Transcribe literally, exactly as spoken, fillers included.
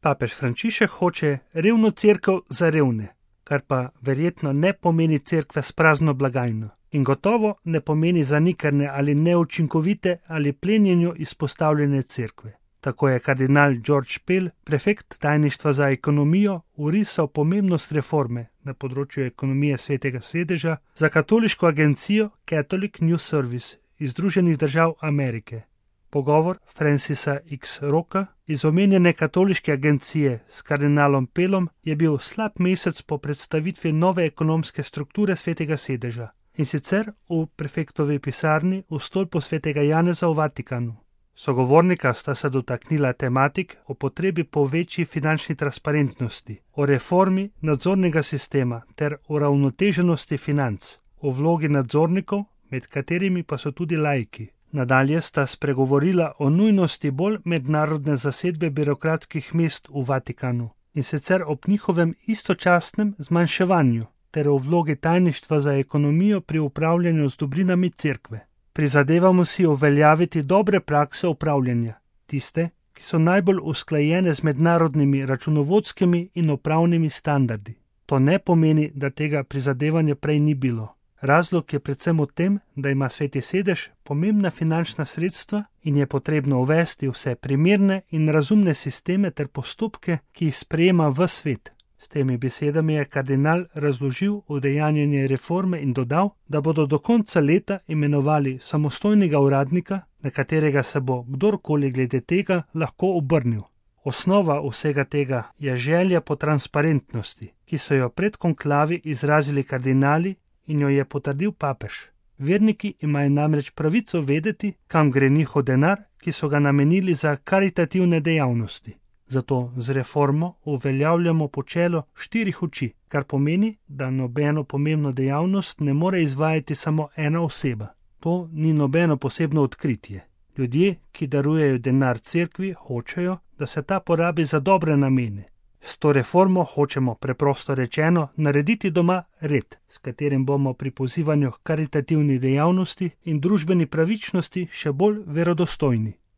Papež Frančišek hoče revno cerkev za revne, kar pa verjetno ne pomeni cerkve s prazno blagajno. In gotovo ne pomeni zanikane ali neučinkovite ali plenjenju izpostavljene cerkve. Tako je kardinal George Pell, prefekt tajništva za ekonomijo, urisal pomembnost reforme na področju ekonomije Svetega sedeža za katoliško agencijo Catholic News Service iz Združenih držav Amerike. Pogovor Francisa X. Rocka iz omenjene katoliške agencije s kardinalom Pellom je bil slab mesec po predstavitvi nove ekonomske strukture Svetega sedeža, in sicer v prefektovi pisarni v stolpu Svetega Janeza v Vatikanu. Sogovornika sta se dotaknila tematik o potrebi po večji finančni transparentnosti, o reformi nadzornega sistema ter o ravnoteženosti financ, o vlogi nadzornikov, med katerimi pa so tudi laiki. Nadalje sta spregovorila o nujnosti bolj mednarodne zasedbe birokratskih mest v Vatikanu, in sicer ob njihovem istočasnem zmanjševanju, ter o vlogi tajništva za ekonomijo pri upravljanju z dobrinami cerkve. Prizadevamo si uveljaviti dobre prakse upravljanja, tiste, ki so najbolj usklajene z mednarodnimi računovodskimi in upravnimi standardi. To ne pomeni, da tega prizadevanja prej ni bilo. Razlog je predvsem v tem, da ima Sveti sedež pomembna finančna sredstva in je potrebno uvesti vse primerne in razumne sisteme ter postopke, ki jih sprejema v svet. S temi besedami je kardinal razložil udejanjanje reforme in dodal, da bodo do konca leta imenovali samostojnega uradnika, na katerega se bo kdorkoli glede tega lahko obrnil. Osnova vsega tega je želja po transparentnosti, ki so jo pred konklavi izrazili kardinali in jo je potrdil papež. Verniki imajo namreč pravico vedeti, kam gre njihov denar, ki so ga namenili za karitativne dejavnosti. Zato z reformo uveljavljamo počelo štirih oči, kar pomeni, da nobeno pomembno dejavnost ne more izvajati samo ena oseba. To ni nobeno posebno odkritje. Ljudje, ki darujejo denar cerkvi, hočejo, da se ta porabi za dobre namene. S to reformo hočemo, preprosto rečeno, narediti doma red, s katerim bomo pri pozivanju k karitativni dejavnosti in družbeni pravičnosti še bolj verodostojni.